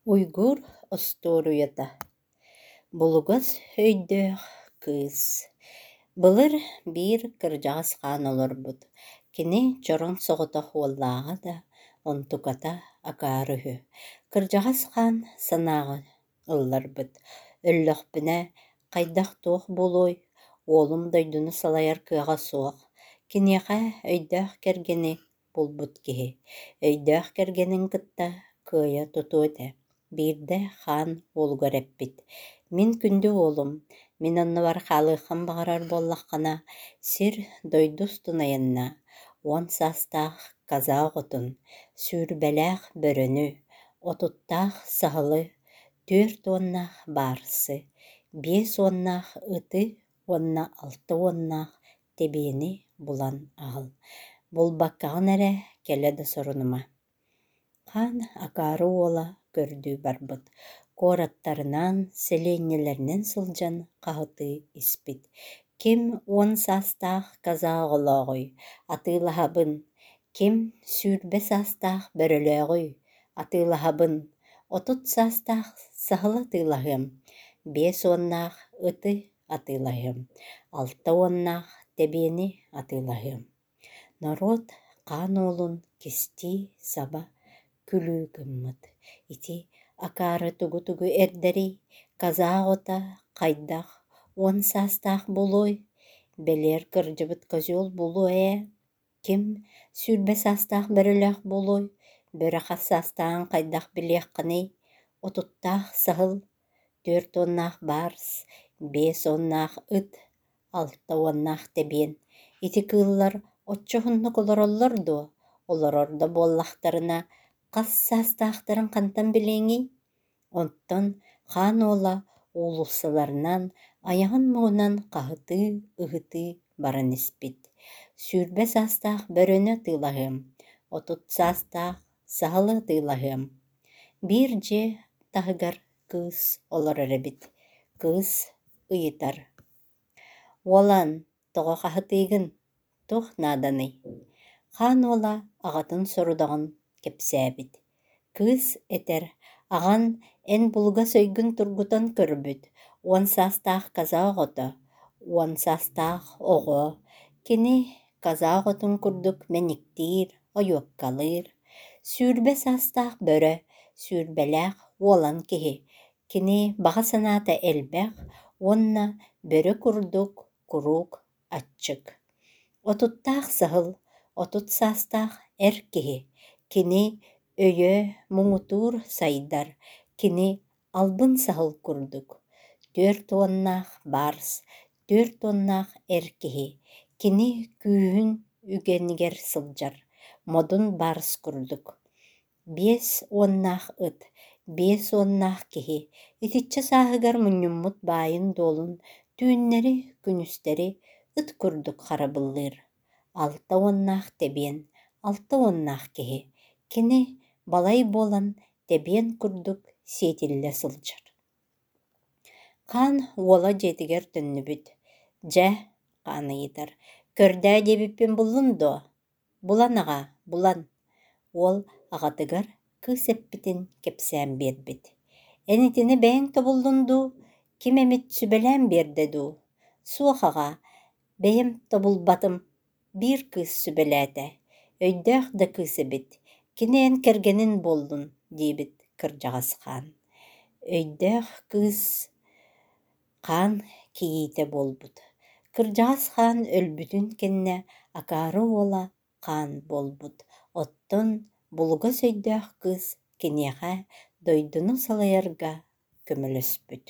Уйгур остуоруйата Булугас өйдөөх кыыс Былыр биир кырдьаҕас хаан олорбут, кини чороҥ соҕотох уоллааҕа да, онтуката акаары үһү. Кырдьаҕас хаан санааҕа ылларбыт: «Өллөхпүнэ хайдах-туох буолуой, уолум дойдуну салайар кыаҕа суох, киниэхэ өйдөөх кэргэни булбут киһи, өйдөөх кэргэнин кытта кыайа тутуо этэ» Биирдэ хаан уолугар эппит: «Мин күндү уолум, мин оннубар хаалыаххын баҕарар буоллаххына, сир, дойду устун айаннаа, 10 саастаах каза оҕотун, 20-лээх бөрөнү, 30-таах саһылы, 40-наах баарсы, 50-наах ыты уонна 60-наах тэбиэни булан аҕал, булбаккаҕын эрэ кэлэ да сорунума» Хаан акаары уола көрдүү барбыт, куораттарынан, сэлиэнньэлэринэн сылдьан хаһытыы испит: «Ким 10 саастаах каза оҕолооҕуй, атыылаһабын, ким 20 саастаах бөрөлөөҕүй, атыылаһабын, 30 саастаах саһыл атыылаһыам, 50-наах ыты атыылаһыам, 60-наах тэбиэни атыылаһыам» Норуот хаан уолун кистии-саба күлүү гыммыт: «Ити акаары тугу-тугу эрдэрий, каза оҕото хайдах 10 саастаах буолуой, бэлиэр кырдьыбыт козел буолуо ээ, ким 20 саастаах бөрөлөөх буолуой, бөрө хас саастааҕын хайдах билиэххиний, 30-таах саһыл, 40-наах барс, 50-наах ыт, 60-наах тэбиэн, ити кыыллар оччо уһуннук олороллор дуо, олорор да буоллахтарына хас саастаахтарын хантан билиэҥий? Оттон хаан уола уулуссаларынан айаҕын муҥунан хаһытыы-ыһытыы баран испит: 20 саастаах бөрөнү атыылаһыам, 30 саастаах саһылы атыылаһыам. Биир дьиэ таһыгар кыыс олорор эбит. Кыыс ыйытар: «Уолан, тоҕо хаһытыыгын, туох нааданый?» Хаан уола аҕатын сорудаҕын кэпсээбит. Кыыс этэр: «Аҕан эн булугас өйгүн тургутан көрбүт, 10 саастаах каза оҕото, 10 саастаах оҕо, кини каза оҕотун курдук мэниктиир, ойуоккалыыр, 20 саастаах бөрө, 20-лээх уолан киһи, кини баҕа санаата элбэх уонна бөрө курдук куруук аччык. 30-таах саһыл, 30 саастаах эр киһи, кини өйө муҥутуур сайдар, кини албын саһыл курдук. 40-наах барс, 40-наах эр киһи, кини күүһүн үгэнигэр сылдьар, модун барс курдук. 50-наах ыт, 50-наах киһи итиччэ сааһыгар мунньуммут баайын-дуолун түүннэри-күнүстэри ыт курдук харабыллыыр. 60-наах тэбиэн, 60-наах киһи, кини балай буолан тэбиэн курдук сиэтиллэ сылдьар. Хаан уола дьиэтигэр төннүбүт. «Дьэ, — хаан ыйытар, — көрдөө диэбиппин буллун дуо? Булан аҕаа, булан» Уол аҕатыгар кыыс эппитин кэпсээн биэрбит: «Эн итини бэйэҥ тобуллун дуу, ким эмит сүбэлээн биэрдэ дуу?» «Суох аҕаа, бэйэм тобулбатым, биир кыыс сүбэлээтэ, өйдөөх да кыыс эбит, кини эн кэргэнин буоллун» диэбит кырдьаҕас хаан. Өйдөөх кыыс хаан кийиитэ буолбут. Кырдьаҕас хаан өлбүтүн кэннэ акаары уола хаан буолбут, оттон булугас өйдөөх кыыс киниэхэ дойдуну салайарга көмөлөспүт.